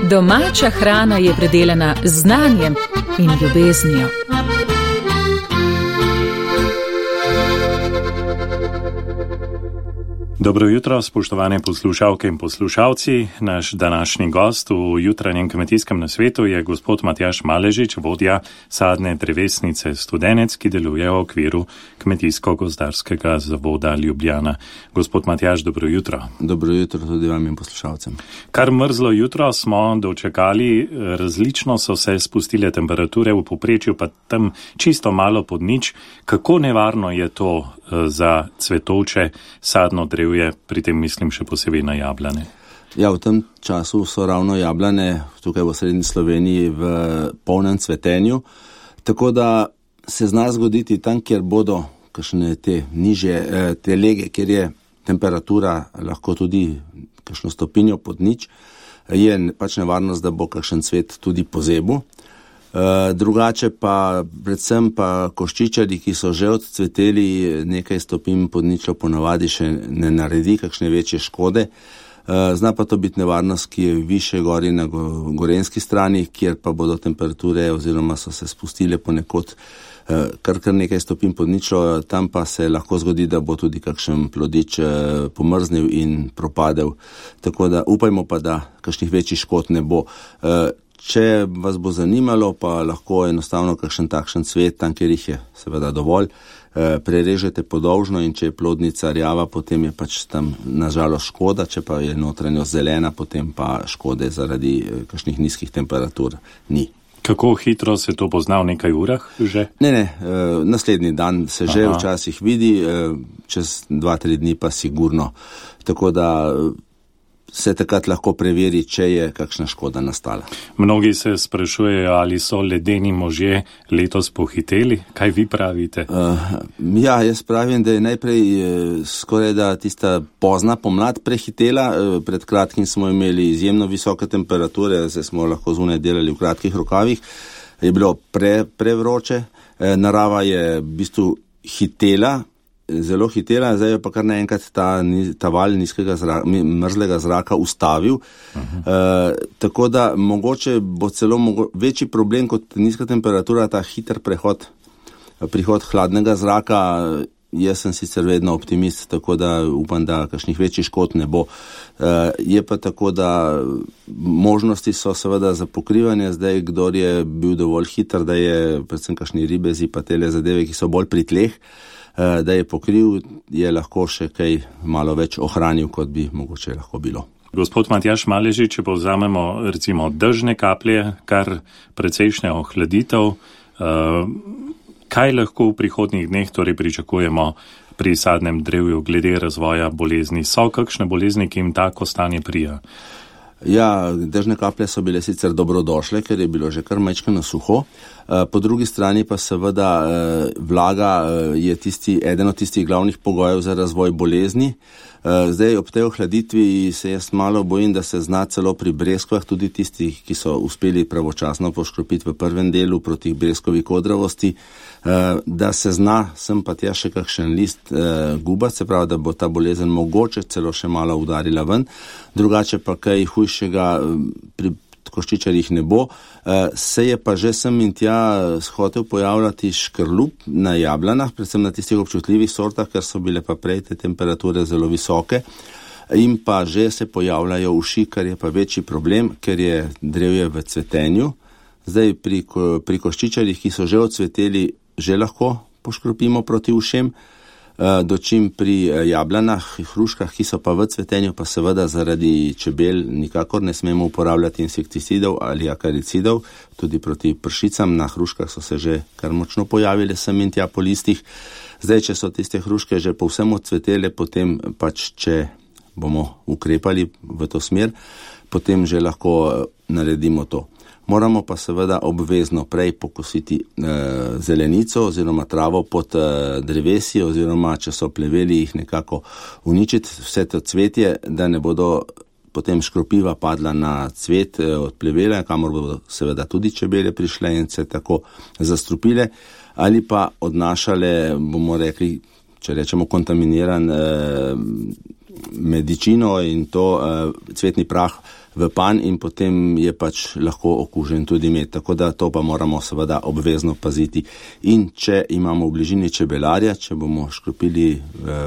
Domača hrana je predelana z znanjem in ljubeznijo. Dobro jutro, spoštovane poslušalke in poslušalci. Naš današnji gost v jutranjem kmetijskem nasvetu je gospod Matjaž Maležič, vodja sadne drevesnice Studenec, ki deluje v okviru Kmetijsko-gozdarskega zavoda Ljubljana. Gospod Matjaž, dobro jutro. Dobro jutro tudi vam in poslušalcem. Kar mrzlo jutro smo dočekali, različno so se spustile temperature, v povprečju pa tam čisto malo pod nič. Kako nevarno je to za cvetovče sadno drevje, pri tem mislim še posebej na jablane? Ja, v tem času so ravno jablane tukaj v srednji Sloveniji v polnem cvetenju, tako da se zna zgoditi tam, kjer bodo kakšne te nižje te lege, kjer je temperatura lahko tudi kakšno stopinjo pod nič, je pač nevarnost, da bo kakšen cvet tudi pozebil. Drugače pa predvsem pa koščičarji, ki so že odcveteli, nekaj stopinj pod ničlo ponavadi še ne naredi kakšne večje škode. Zna pa to biti nevarnost, ki je više gori na gorenski strani, kjer pa bodo temperature oziroma so se spustile ponekod kar nekaj stopinj pod ničlo, tam pa se lahko zgodi, da bo tudi kakšen plodič pomrznil in propadel. Tako da upajmo pa, da kakšnih večjih škod ne bo. Če vas bo zanimalo, pa lahko enostavno kakšen takšen cvet, tam kjer jih je seveda dovolj, prerežete podolžno in če je plodnica rjava, potem je pač tam nažalost škoda, če pa je notranjost zelena, potem pa škode zaradi kakšnih nizkih temperatur ni. Kako hitro se to pozna v nekaj urah že? Ne, naslednji dan se že včasih vidi, čez 2-3 dni pa sigurno. Tako da se takrat lahko preveri, če je kakšna škoda nastala. Mnogi se sprašujejo, ali so ledeni možje letos pohiteli. Kaj vi pravite? Ja, jaz pravim, da je najprej skoraj da tista pozna pomlad prehitela. Pred kratkim smo imeli izjemno visoke temperature, zdaj smo lahko zunaj delali v kratkih rokavih. Je bilo prevroče. Narava je v bistvu hitela, zelo hitela, zdaj je pa kar naenkrat ta val mrzlega zraka ustavil. Tako da mogoče bo celo večji problem kot nizka temperatura, ta hiter prihod hladnega zraka. Jaz sem sicer vedno optimist, tako da upam, da kakšnih večjih škod ne bo. Je pa tako, da možnosti so seveda za pokrivanje, zdaj kdor je bil dovolj hiter, da je predvsem kakšni ribezi pa tele zadeve, ki so bolj pri tleh, da je pokril, je lahko še kaj malo več ohranil, kot bi mogoče lahko bilo. Gospod Matjaž Maležič, če povzamemo recimo dežne kaplje, kar precejšnja ohladitev, kaj lahko v prihodnjih dneh torej pričakujemo pri sadnem drevju glede razvoja bolezni? So kakšne bolezni, ki jim tako stanje prija? Ja, dežne kaplje so bile sicer dobrodošle, ker je bilo že kar majčkeno suho. Po drugi strani pa seveda vlaga je eden od tistih glavnih pogojev za razvoj bolezni. Zdaj ob tej ohladitvi se jaz malo bojim, da se zna celo pri breskvah, tudi tistih, ki so uspeli pravočasno poškropiti v prvem delu proti breskovi kodravosti, da se zna sem pa tja še kakšen list gubati, se pravi, da bo ta bolezen mogoče celo še malo udarila ven. Drugače pa kaj hujšega pri koščičarjih ne bo. Se je pa že sem in tja hotel pojavljati škrlup na jablanah, predvsem na tistih občutljivih sortah, ker so bile pa prej te temperature zelo visoke. In pa že se pojavljajo uši, kar je pa večji problem, ker je drevje v cvetenju. Zdaj pri koščičarjih, ki so že odcveteli, že lahko poškropimo proti ušem, dočim pri jablanah, hruškah, ki so pa v cvetenju, pa seveda zaradi čebel nikakor ne smemo uporabljati insekticidov ali akaricidov, tudi proti pršicam. Na hruškah so se že kar močno pojavile sem in tja po listih. Zdaj, če so tiste hruške že povsem odcvetele, potem pač, če bomo ukrepali v to smer, potem že lahko naredimo to. Moramo pa seveda obvezno prej pokositi zelenico oziroma travo pod drevesi, oziroma če so pleveli, jih nekako uničiti, vse to cvetje, da ne bodo potem škropiva padla na cvet od plevela, kamor bodo seveda tudi čebele prišle in se tako zastrupile, ali pa odnašale, bomo rekli, če rečemo kontaminiran medičino in to cvetni prah v panj in potem je pač lahko okužen tudi med. Tako da to pa moramo seveda obvezno paziti. In če imamo v bližini čebelarja, če bomo škropili,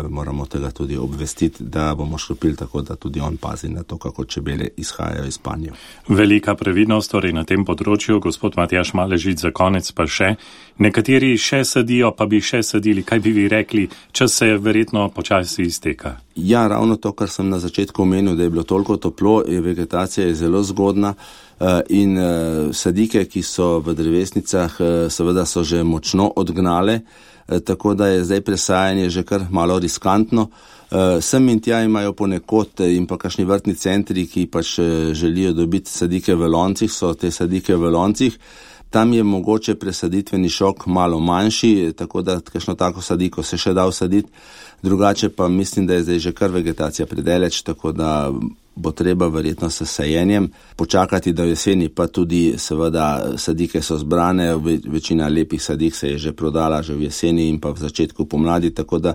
moramo tega tudi obvestiti, da bomo škropili tako, da tudi on pazi na to, kako čebele izhajajo iz panja. Velika previdnost torej na tem področju. Gospod Matjaž Maležič, za konec pa še. Nekateri še sadijo, pa bi še sadili. Kaj bi vi rekli? Čas se verjetno počasi izteka. Ja, ravno to, kar sem na začetku omenil, da je bilo toliko toplo, vegetacija je zelo zgodna in sadike, ki so v drevesnicah, seveda so že močno odgnale, tako da je zdaj presajanje že kar malo riskantno. Sem in tja imajo ponekod in pa kakšni vrtni centri, ki pač želijo dobiti sadike v loncih, so te sadike v loncih. Tam je mogoče presaditveni šok malo manjši, tako da kakšno tako sadiko se še da vsaditi. Drugače pa mislim, da je zdaj že kar vegetacija predaleč, tako da bo treba verjetno s sajenjem počakati do jeseni, pa tudi seveda sadike so zbrane, večina lepih sadik se je že prodala že v jeseni in pa v začetku pomladi, tako da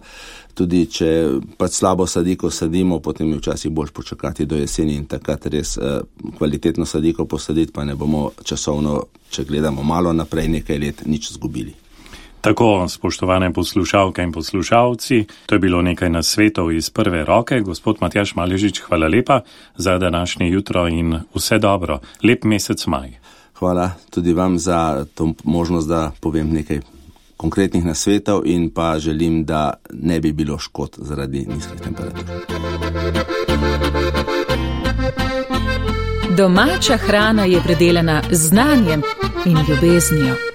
tudi če pač slabo sadiko sadimo, potem je včasih boljš počakati do jeseni in takrat res kvalitetno sadiko posaditi, pa ne bomo časovno, če gledamo malo naprej, nekaj let nič zgubili. Tako, spoštovane poslušalke in poslušalci, to je bilo nekaj nasvetov iz prve roke. Gospod Matjaž Maležič, hvala lepa za današnje jutro in vse dobro. Lep mesec maj. Hvala tudi vam za to možnost, da povem nekaj konkretnih nasvetov in pa želim, da ne bi bilo škod zaradi nizkih temperatur. Domača hrana je predelana z znanjem in ljubeznijo.